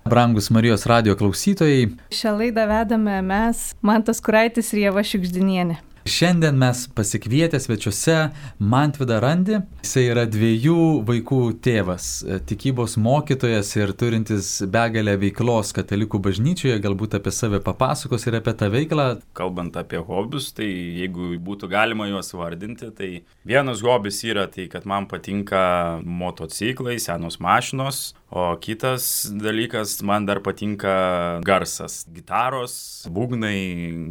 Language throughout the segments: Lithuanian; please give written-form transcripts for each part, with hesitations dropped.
Brangus Marijos radijo klausytojai. Šią laidą vedame mes, Mantas Kuraitis ir Ieva Šiugždinienė. Šiandien mes pasikvietę svečiuose Mantvydą Randį. Jisai yra 2 vaikų tėvas, tikybos mokytojas ir turintis begalę veiklos katalikų bažnyčioje. Galbūt apie save papasakos ir apie tą veiklą. Kalbant apie hobius, tai jeigu būtų galima juos vardinti, tai vienas hobis yra tai, kad man patinka motociklai, senos mašinos, o kitas dalykas, man dar patinka garsas, gitaros, būgnai,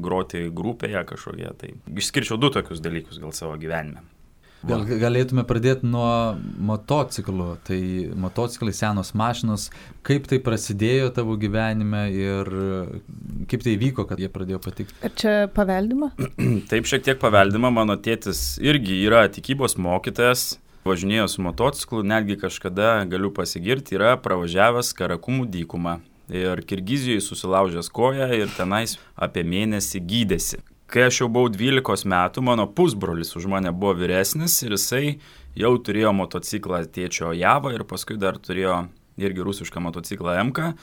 groti grupėje kažkokie. Tai išskirčiau 2 tokius dalykus gal savo gyvenime. Gal galėtume pradėti nuo motociklų. Tai motociklai, senos mašinos. Kaip tai prasidėjo tavo gyvenime ir kaip tai vyko, kad jie pradėjo patikti? Ar čia paveldima? Taip, šiek tiek paveldima. Mano tėtis irgi yra tikybos mokytojas. Važinėjo su motociklu, netgi kažkada, galiu pasigirti, yra pravažiavęs Karakumų dykumą. Ir Kirgizijoje susilaužęs koją ir tenais apie mėnesį gydėsi. Kai aš jau buvau 12 metų, mano pusbrolis už mane buvo vyresnis ir jisai jau turėjo motociklą tėčio Javą ir paskui dar turėjo irgi rusišką motociklą MK.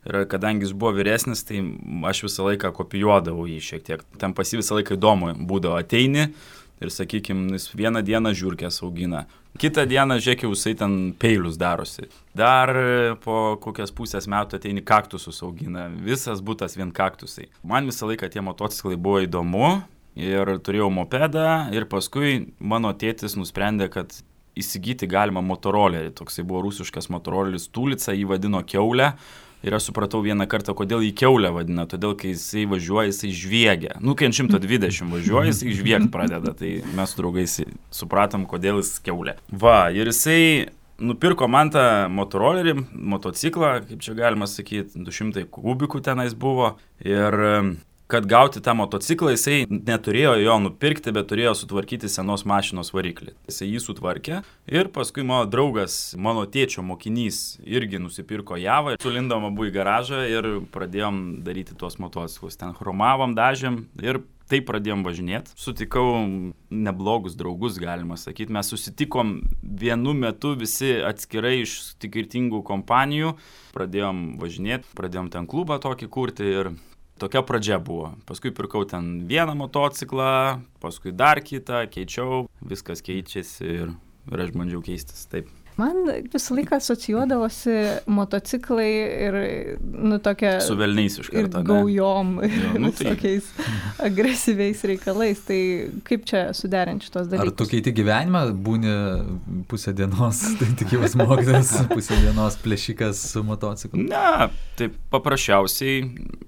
Ir kadangi jis buvo vyresnis, tai aš visą laiką kopijuodavau jį šiek tiek. Ten pas jį visą laiką įdomu būdavo, ateini ir, sakykime, jis vieną dieną žiurkės augina. Kitą dieną, žiūrėk, jisai ten peilius darosi. Dar po kokias pusės metų ateini kaktusus augina. Visas butas vien kaktusai. Man visą laiką tie motociklai buvo įdomu ir turėjau mopedą ir paskui mano tėtis nusprendė, kad įsigyti galima motorolerį. Toksai buvo rusiškas motoroleris Tulica, jį vadino kiaulę. Ir aš supratau vieną kartą, kodėl jį kiaulę vadina. Todėl, kai jisai važiuoja, jisai žviegia. Kai ant 120 važiuoja, jisai žviegt pradeda. Tai mes su draugais supratom, kodėl jis kiaulė. Va, ir jisai nupirko man tą motorolerį, motociklą, kaip čia galima sakyti, 200 kubikų tenais buvo. Ir kad gauti tą motociklą, jisai neturėjo jo nupirkti, bet turėjo sutvarkyti senos mašinos variklį. Jisai jį sutvarkė ir paskui mano draugas, mano tėčio mokinys, irgi nusipirko Javą. Sulindom abu į garažą ir pradėjom daryti tuos motociklus. Ten chromavom, dažėm ir taip pradėjom važinėti. Sutikau neblogus draugus, galima sakyti. Mes susitikom vienu metu visi atskirai iš skirtingų kompanijų. Pradėjom važinėti, pradėjom ten klubą tokį kurti ir tokia pradžia buvo. Paskui pirkau ten vieną motociklą, paskui dar kitą, keičiau, viskas keičiasi ir aš bandžiau keistis. Taip. Man visą laiką asocijuodavosi motociklai ir, tokia... Su velniais iš karto, ir gaujom, visokiais agresyviais reikalais. Tai kaip čia suderinti šitos dalykus? Ar tu keiti gyvenimą, būni pusę dienos, tai tikybos mokytojas, pusę dienos plėšikas su motociklu? Ne, taip paprasčiausiai,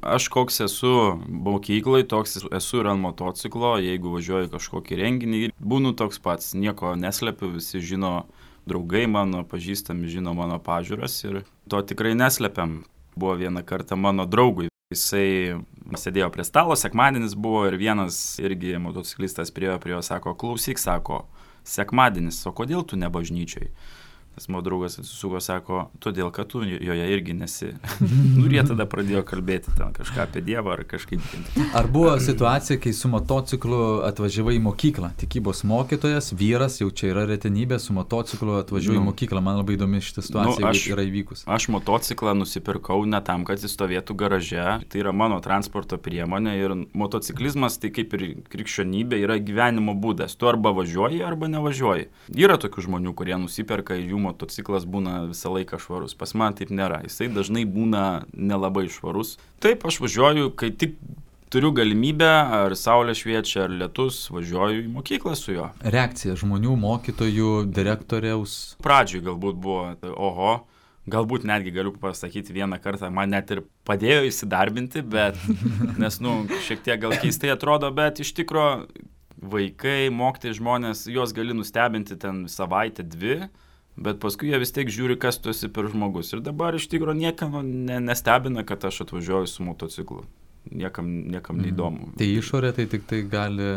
aš koks esu mokyklai, toks esu ir ant motociklo, jeigu važiuoju kažkokį renginį, būnu toks pats, nieko neslepiu, visi žino, draugai mano, pažįstami žino mano pažiūras ir to tikrai neslepiam. Buvo vieną kartą mano draugui. Jisai sėdėjo prie stalo, sekmadienis buvo ir vienas irgi motociklistas prie jo sako, klausyk, sako, sekmadienis, o kodėl tu ne bažnyčioj? Tas mano draugas atsisuko, sako, todėl, kad tu joje irgi nesi. Ir jie tada pradėjo kalbėti ten kažką apie Dievą ar kažkaip. Ar buvo situacija, kai su motociklu atvažiavai į mokyklą? Tikybos mokytojas, vyras, jau čia yra retenybė, su motociklu atvažiuoju į mokyklą. Man labai įdomi šitą situaciją yra įvykus. Aš motociklą nusipirkau ne tam, kad jis stovėtų garaže. Tai yra mano transporto priemonė ir motociklizmas, tai kaip ir krikščionybė, yra gyvenimo būdas. Tu arba važiuoji, arba nevažiuoji. Yra tokių žmonių, kurie nusiperka ir jų motociklas būna visą laiką švarus. Pas man taip nėra. Jisai dažnai būna nelabai švarus. Taip, aš važiuoju, kai tik turiu galimybę, ar saulė šviečia, ar lietus, važiuoju į mokyklą su juo. Reakcija žmonių, mokytojų, direktoriaus? Pradžioj galbūt buvo, oho, galbūt netgi galiu pasakyti vieną kartą, man net ir padėjo įsidarbinti, bet, nes, šiek tiek gal keistai atrodo, bet iš tikro vaikai, mokytojai žmonės, juos gali nustebinti ten savaitę, 2, bet paskui jie vis tiek žiūri, kas tu esi per žmogus. Ir dabar iš tikrųjų niekam nestebina, kad aš atvažiuoju su motociklu. Niekam neįdomu. Tai išorė tai tik tai gali...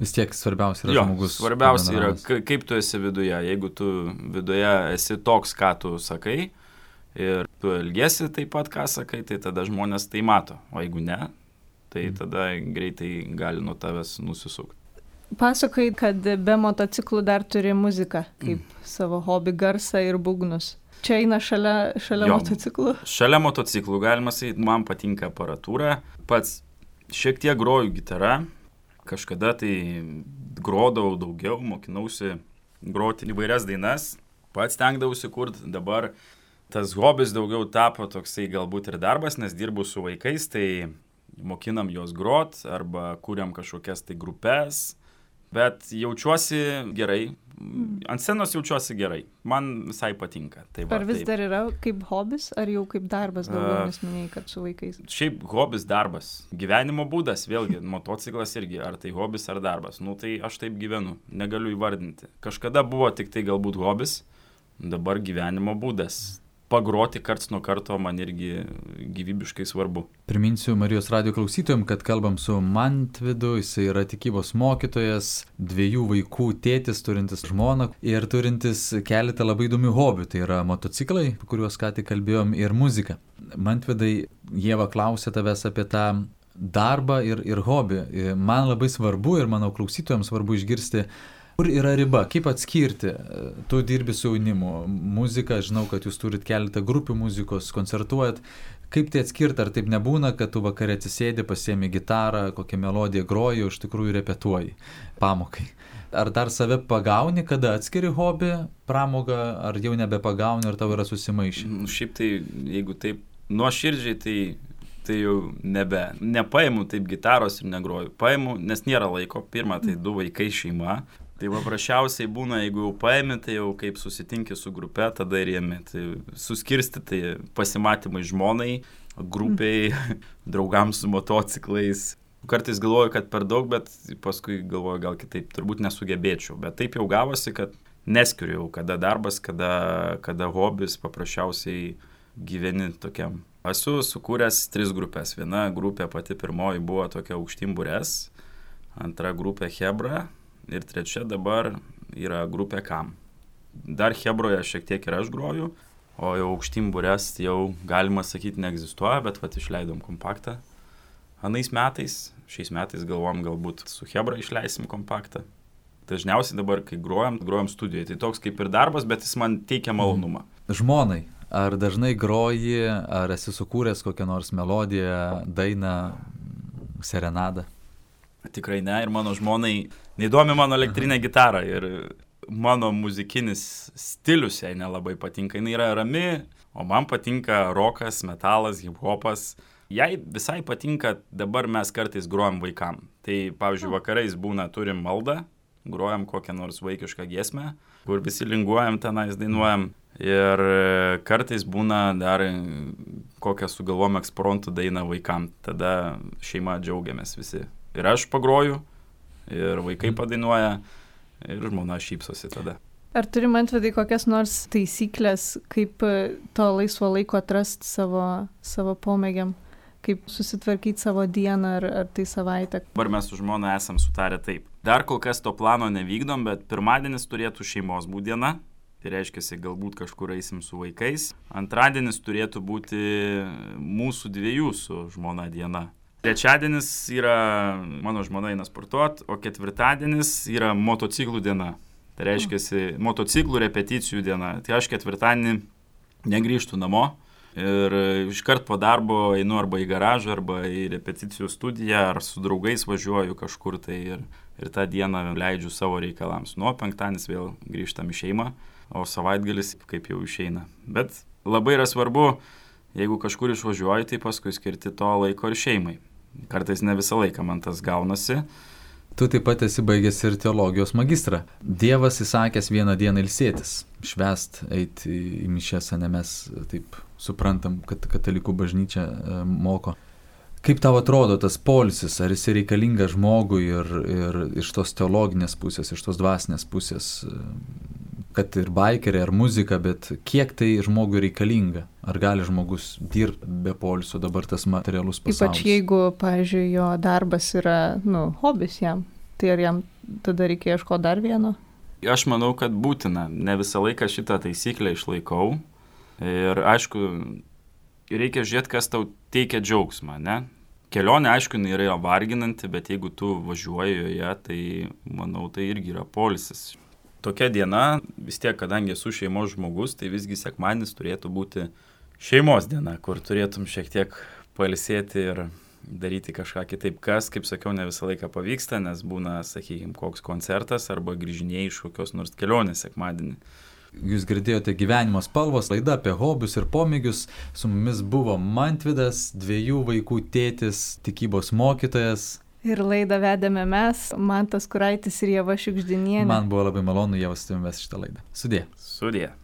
Vis tiek svarbiausia yra žmogus. Svarbiausia yra, kaip tu esi viduje. Jeigu tu viduje esi toks, ką tu sakai, ir tu elgiesi taip pat, ką sakai, tai tada žmonės tai mato. O jeigu ne, tai tada greitai gali nuo tavęs nusisukti. Pasakai, kad be motociklų dar turi muziką, kaip savo hobį, garsą ir būgnus. čia eina šalia motociklų? Šalia motociklų, galima sakyti, man patinka aparatūra. Pats šiek tiek groju gitarą. Kažkada tai grodavau daugiau, mokinausi groti įvairias dainas. Pats stengdavausi kurti. Dabar tas hobis daugiau tapo toksai galbūt ir darbas, nes dirbu su vaikais, tai mokinam juos grot arba kuriam kažkokias tai grupės. Bet jaučiuosi gerai. Ant scenos jaučiuosi gerai. Man visai patinka. Ar vis dar yra kaip hobis, ar jau kaip darbas daugiau, nes minėjai, kad su vaikais? Šiaip hobis, darbas. Gyvenimo būdas, vėlgi, motociklas irgi, ar tai hobis, ar darbas. Tai aš taip gyvenu, negaliu įvardinti. Kažkada buvo tik tai galbūt hobis, dabar gyvenimo būdas. Pagroti karts nuo karto man irgi gyvybiškai svarbu. Priminsiu Marijos radijo klausytojams, kad kalbam su Mantvydu, jis yra tikybos mokytojas, 2 vaikų tėtis, turintis žmoną ir turintis keletą labai įdomių hobių. Tai yra motociklai, kuriuos ką tik kalbėjom, ir muzika. Mantvydai, Ieva klausė tavęs apie tą darbą ir hobį. Man labai svarbu ir manau klausytojams svarbu išgirsti, kur yra riba, kaip atskirti. Tu dirbi su jaunimu, muzika, žinau, kad jūs turit keletą grupių muzikos, koncertuojat. Kaip tai atskirti, ar taip nebūna, kad tu vakare atsisėdi, pasiemi gitarą, kokią melodiją groji, o iš tikrųjų repetuoji pamokai. Ar dar save pagauni, kada atskiri hobį, pramogą, ar jau nebepagauni, ar tau yra susimaišę? Šiaip tai, jeigu taip nuoširdžiai, tai jau nepaimu taip gitaros ir negroju. Paimu, nes nėra laiko. Pirma, tai 2 vaikai, šeima. Tai paprasčiausiai būna, jeigu jau paimi, tai jau kaip susitinki su grupe, tada ir jėmi. Tai suskirsti, tai pasimatymai žmonai, grupiai, draugams su motociklais. Kartais galvoju, kad per daug, bet paskui galvoju, gal kitaip, turbūt nesugebėčiau. Bet taip jau gavosi, kad neskiriu, kada darbas, kada hobis, paprasčiausiai gyveni tokiam. Esu sukūręs 3 grupės. Viena grupė pati pirmoji buvo tokia Aukštyn Bures, antra grupė Hebra. Ir 3 dabar yra grupė Kam. Dar Hebroje šiek tiek ir aš groju, o jau Aukštyn Bures jau galima sakyti neegzistuoja, bet išleidom kompaktą. Anais metais, šiais metais galvom galbūt su Hebra išleisim kompaktą. Dažniausiai dabar, kai grojam studijoje, tai toks kaip ir darbas, bet jis man teikia malonumą. Žmonai, ar dažnai groji, ar esi sukūręs kokią nors melodiją, dainą, serenadą? Tikrai ne, ir mano žmonai neįdomi mano elektrinė gitara ir mano muzikinis stilius jai nelabai patinka. Jis yra rami, o man patinka rokas, metalas, hip-hopas. Jai visai patinka, dabar mes kartais grojam vaikam. Tai, pavyzdžiui, vakarais turim maldą, grojam kokią nors vaikišką giesmę, kur visi linguojam tenais, dainuojam. Ir kartais būna dar kokią sugalvom ekspromtų dainą vaikam. Tada šeima džiaugiamės visi. Ir aš pagroju, ir vaikai padainuoja, ir žmona šypsosi tada. Ar turi, Mantvydai, kokias nors taisyklės, kaip to laisvo laiko atrasti savo pomėgiam? Kaip susitvarkyti savo dieną ar tai savaitę? Dabar mes su žmona esam sutarę taip. Dar kol kas to plano nevykdom, bet pirmadienis turėtų šeimos būti diena. Tai reiškia, galbūt kažkur eisim su vaikais. Antradienis turėtų būti mūsų 2 su žmona diena. Trečiadienis yra mano žmona eina sportuot, o ketvirtadienis yra motociklų diena. Tai reiškia, motociklų repeticijų diena. Tai aš ketvirtadienį negrįžtu namo ir iškart po darbo einu arba į garažą, arba į repeticijų studiją, ar su draugais važiuoju kažkur tai ir tą dieną leidžiu savo reikalams. Nuo penktadienis vėl grįžtam į šeimą, o savaitgalis kaip jau išeina. Bet labai yra svarbu, jeigu kažkur išvažiuoju, tai paskui skirti to laiko ir šeimai. Kartais ne visą laiką man tas gaunasi. Tu taip pat esi baigęs ir teologijos magistrą. Dievas įsakęs vieną dieną ilsėtis, švęst, eiti į mišias, ne mes taip suprantam, kad katalikų bažnyčia moko. Kaip tau atrodo tas poilsis, ar jis reikalingas žmogui ir iš tos teologinės pusės, iš tos dvasinės pusės, kad ir baikeriai, ar muzika, bet kiek tai žmogui reikalinga? Ar gali žmogus dirbti be poilsio dabar tas materialus pasaulis? Ypač jeigu, pavyzdžiui, jo darbas yra, hobis jam, tai ar jam tada reikia ieškoti dar vieno? Aš manau, kad būtina. Ne visą laiką šitą taisyklę išlaikau. Ir aišku, reikia žiūrėti, kas tau teikia džiaugsmą, ne? Kelionė, aišku, yra varginanti, bet jeigu tu važiuoji joje, tai manau, tai irgi yra poilsis. tokia diena, vis tiek, kadangi esu šeimos žmogus, tai visgi sekmadienis turėtų būti šeimos diena, kur turėtum šiek tiek pailsėti ir daryti kažką kitaip, kas, kaip sakiau, ne visą laiką pavyksta, nes būna, sakykime, koks koncertas arba grįžinėjai iš kokios nors kelionės sekmadienį. Jūs girdėjote Gyvenimo spalvos laidą apie hobius ir pomėgius. Su mumis buvo Mantvydas, 2 vaikų tėtis, tikybos mokytojas. Ir laidą vedėme mes, Mantas Kuraitis ir Ieva Šiugždinienė. Man buvo labai malonu, Ieva, su tavimi vesti šitą laidą. Sudie. Sudie.